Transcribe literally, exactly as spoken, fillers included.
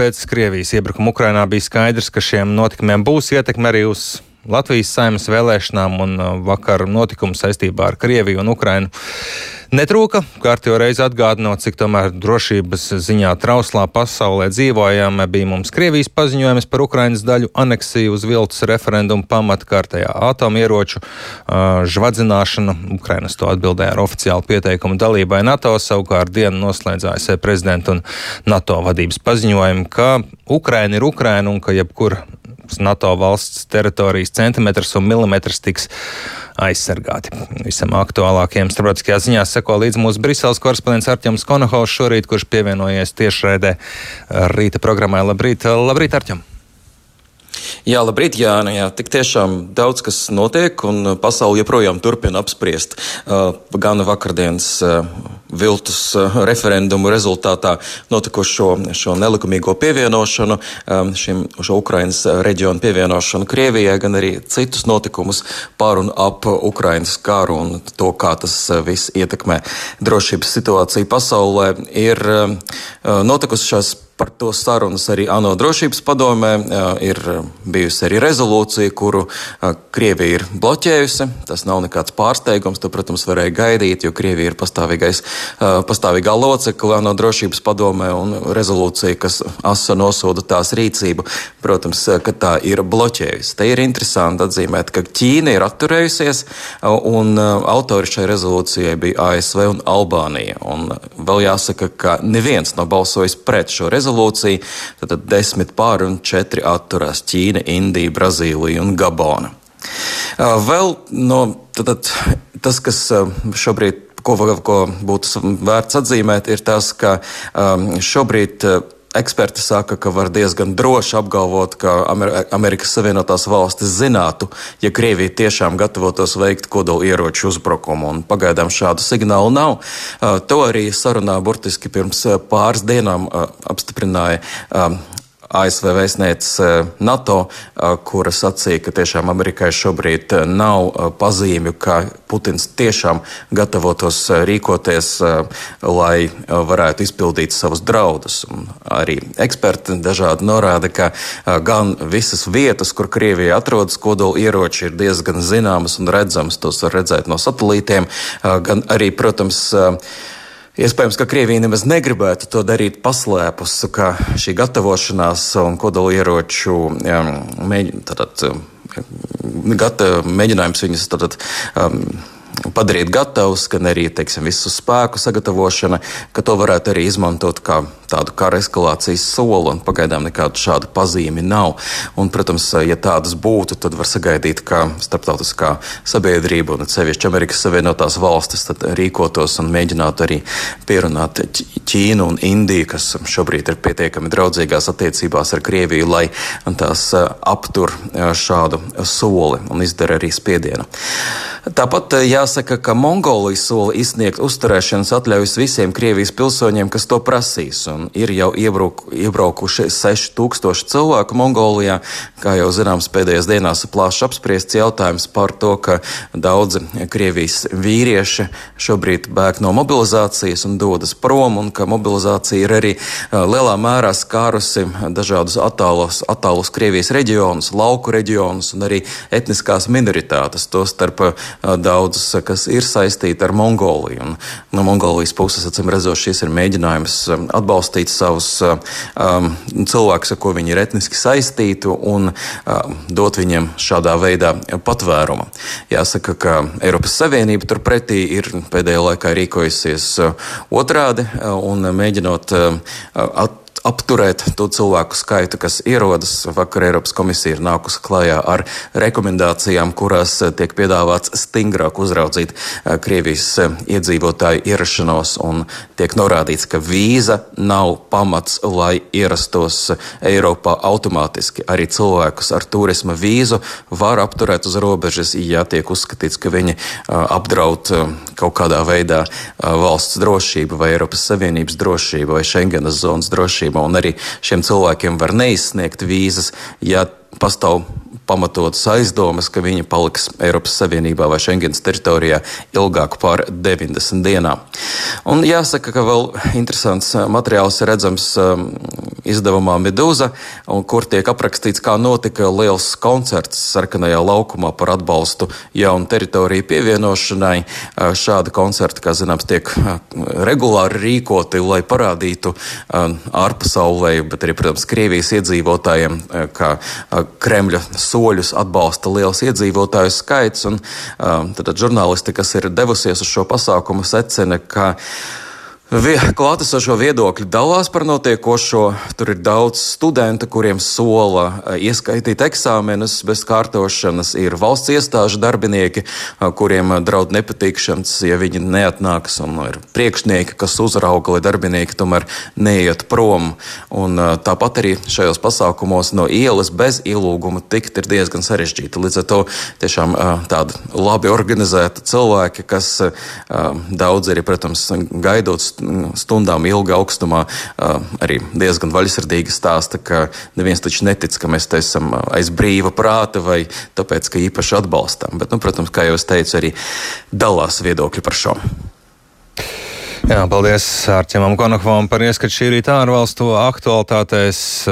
pēc Krievijas iebrukuma Ukrainā bija skaidrs, ka šiem notikumiem būs ietekme arī uz Latvijas Saeimas vēlēšanām, un vakar notikumi saistībā ar Krieviju un Ukrainu netrūka. Kārtējo reizi atgādinot, cik tomēr drošības ziņā trauslā pasaulē dzīvojam, bija mums Krievijas paziņojums par Ukrainas daļu aneksiju uz viltus referendumu pamata, kārtējā atomieroču uh, žvadzināšana. Ukrainas to atbildēja ar oficiālu pieteikumu dalībai NATO, savukārt dienu noslēdz A S V prezidenta un NATO vadības paziņojumu, ka Ukraina ir Ukraina un ka jebkur NATO valsts teritorijas centimetrs un milimetrs tiks aizsargāti. Visam aktuālākajiem starptautiskajās ziņās seko līdz mūsu Briseles korespondents Artjoms Konohaus šorīt, kurš pievienojies tiešraidē rīta programmai. Labrīt, labrīt, Artjom! Jā, labrīt, Jāni. Jā, tik tiešām daudz kas notiek, un pasauli joprojām turpina apspriest uh, gan vakardienas uh, viltus uh, referendumu rezultātā notikušo šo nelikumīgo pievienošanu, um, šim, šo Ukrainas reģionu pievienošanu Krievijai, gan arī citus notikumus par un ap Ukrainas karu un to, kā tas uh, viss ietekmē drošības situāciju pasaulē. Ir uh, notikusi šās par to sarunas arī ANO drošības padomē, ir bijusi arī rezolūcija, kuru Krievija ir bloķējusi. Tas nav nekāds pārsteigums, to, protams, varēja gaidīt, jo Krievija ir pastāvīgais, pastāvīgā locekle ANO drošības padomē, un rezolūcija, kas asa nosoda tās rīcību, protams, ka tā ir bloķējusi. Te ir interesanti atzīmēt, ka Ķīna ir atturējusies, un autori šai rezolūcijai bija A S V un Albānija. Un vēl jāsaka, ka neviens nav balsojis pret šo rezolūciju. Tad desmit pār un četri atturās: Ķīna, Indija, Brazīlija un Gabona. Vēl no tad, tas, kas šobrīd, ko, ko būtu vērts atzīmēt, ir tas, ka šobrīd eksperti saka, ka var diezgan droši apgalvot, ka Amerikas Savienotās valstis zinātu, ja Krievija tiešām gatavotos veikt kodola ieroču uzbrukumu, un pagaidām šādu signālu nav. To arī sarunā burtiski pirms pāris dienām apstiprināja A S V vēstniece NATO, kura sacīja, ka tiešām Amerikai šobrīd nav pazīmju, ka Putins tiešām gatavotos rīkoties, lai varētu izpildīt savus draudus. Un arī eksperti dažādi norāda, ka gan visas vietas, kur Krievija atrodas kodola ieroči, ir diezgan zināmas un redzamas, tos var redzēt no satelītiem, gan arī, protams, iespējams, ka Krievija nemaz negribētu to darīt paslēpus, ka šī gatavošanās un kodolieroču um, mēģ, tātad, gata, mēģinājums viņus tātad, um, padarīt gatavus, gan arī, teiksim, visu spēku sagatavošana, ka to varētu arī izmantot kā tādu kara eskalācijas soli, un pagaidām nekādu šādu pazīmi nav. Un, protams, ja tādas būtu, tad var sagaidīt, ka starptautiskā sabiedrība un sevišķi Amerikas Savienotās valstis tad rīkotos un mēģinātu arī pierunāt Ķīnu un Indiju, kas šobrīd ir pietiekami draudzīgās attiecībās ar Krieviju, lai tās aptur šādu soli un izdara arī spiedienu. Tāpat jāsaka, ka Mongolijas sola izsniegt uzturēšanas atļaujas visiem Krievijas pilsoņiem, kas to prasīs, un ir jau iebrauk, iebraukuši seši tūkstoši cilvēku Mongolijā. Kā jau zināms, pēdējās dienās plaši apspriests jautājums par to, ka daudzi Krievijas vīrieši šobrīd bēg no mobilizācijas un dodas prom, un ka mobilizācija ir arī lielā mērā skārusi dažādus attālus, attālus Krievijas reģionus, lauku reģionus un arī etniskās minoritātes, to starp daudzus, kas ir saistīti ar Mongoliju. Un no Mongolijas puses, acīm redzot, šis ir mēģinājums atbalstīt savus um, cilvēkus, ar ko viņi ir etniski saistīti, un um, dot viņiem šādā veidā patvērumu. Jāsaka, ka Eiropas Savienība turpretī ir pēdējā laikā rīkojusies otrādi un mēģinot at apturēt to cilvēku skaitu, kas ierodas. Vakar Eiropas komisija ir nākusi klajā ar rekomendācijām, kurās tiek piedāvāts stingrāk uzraudzīt Krievijas iedzīvotāju ierašanos, un tiek norādīts, ka vīza nav pamats, lai ierastos Eiropā automātiski. Arī cilvēkus ar turisma vīzu var apturēt uz robežas, ja tiek uzskatīts, ka viņi apdraud kaut kādā veidā valsts drošību vai Eiropas Savienības drošību vai Schengenas zonas drošību. Un arī šiem cilvēkiem var neizsniegt vīzas, ja pastāv pamatotas aizdomas, ka viņi paliks Eiropas Savienībā vai Schengens teritorijā ilgāk par deviņdesmit dienām. Un jāsaka, ka vēl interesants materiāls ir redzams izdevumā Medūza, un kur tiek aprakstīts, kā notika liels koncerts Sarkanajā laukumā par atbalstu jaunu teritoriju pievienošanai. Šādi koncerti, kā zināms, tiek regulāri rīkoti, lai parādītu ārpasaulē, bet arī, protams, Krievijas iedzīvotājiem, ka Kremļa soļus atbalsta liels iedzīvotāju skaits. Un tad žurnālisti, kas ir devusies uz šo pasākumu, secina, ka klātesošo viedokļi dalās par notiekošo. Tur ir daudz studentu, kuriem sola ieskaitīt eksāmenus bez kārtošanas. Ir valsts iestāžu darbinieki, kuriem draud nepatīkšanas, ja viņi neatnāks. Un ir priekšnieki, kas uzrauga, lai darbinieki tomēr neiet prom. Un tāpat arī šajos pasākumos no ielas bez ielūguma tikt ir diezgan sarežģīti. Līdz ar to tiešām tādi labi organizēti cilvēki, kas daudz arī, protams, gaidot stundām ilga augstumā, arī diezgan vaļsirdīgi stāsta, ka neviens taču netic, ka mēs te esam aiz brīva prāta vai tāpēc, ka īpaši atbalstām. Bet, nu, protams, kā jau es teicu, arī dalās viedokļi par šo. Jā, paldies Ārķimam Konokovam par ieskatu šī rīta ārvalstu aktualitātēs.